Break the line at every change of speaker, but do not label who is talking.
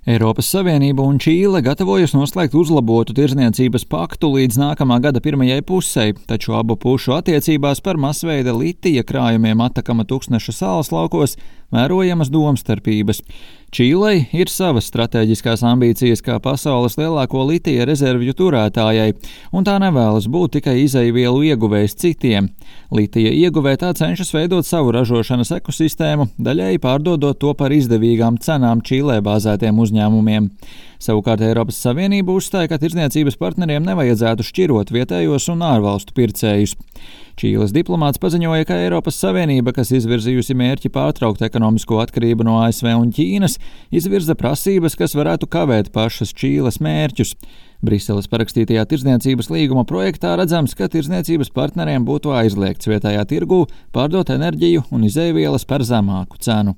Eiropas Savienība un Čīle gatavojas noslēgt uzlabotu tirdzniecības paktu līdz nākamā gada pirmajai pusei, taču abu pušu attiecībās par masveida litija krājumiem Atakama Tuksneša salas laukos vērojamas domstarpības. Čīlei ir savas stratēģiskās ambīcijas kā pasaules lielāko litija rezervju turētājai, un tā nevēlas būt tikai izejvielu ieguvējs citiem. Litija ieguvē tā cenšas veidot savu ražošanas ekosistēmu, daļēji pārdodot to par izdevīgām cenām Čīlē bāzētiem uzņēmumiem. Savukārt Eiropas Savienība uzstāja, ka tirdzniecības partneriem nevajadzētu šķirot vietējos un ārvalstu pircējus. Čīles diplomāts paziņoja, ka Eiropas Savienība, kas izvirzījusi mērķi pārtraukt ekonomisko atkarību no ASV un Ķīnas, izvirza prasības, kas varētu kavēt pašas Čīles mērķus. Briseles parakstītajā tirdzniecības līguma projektā redzams, ka tirdzniecības partneriem būtu aizliegts vietējā tirgū pārdot enerģiju un izejvielas par zemāku cenu.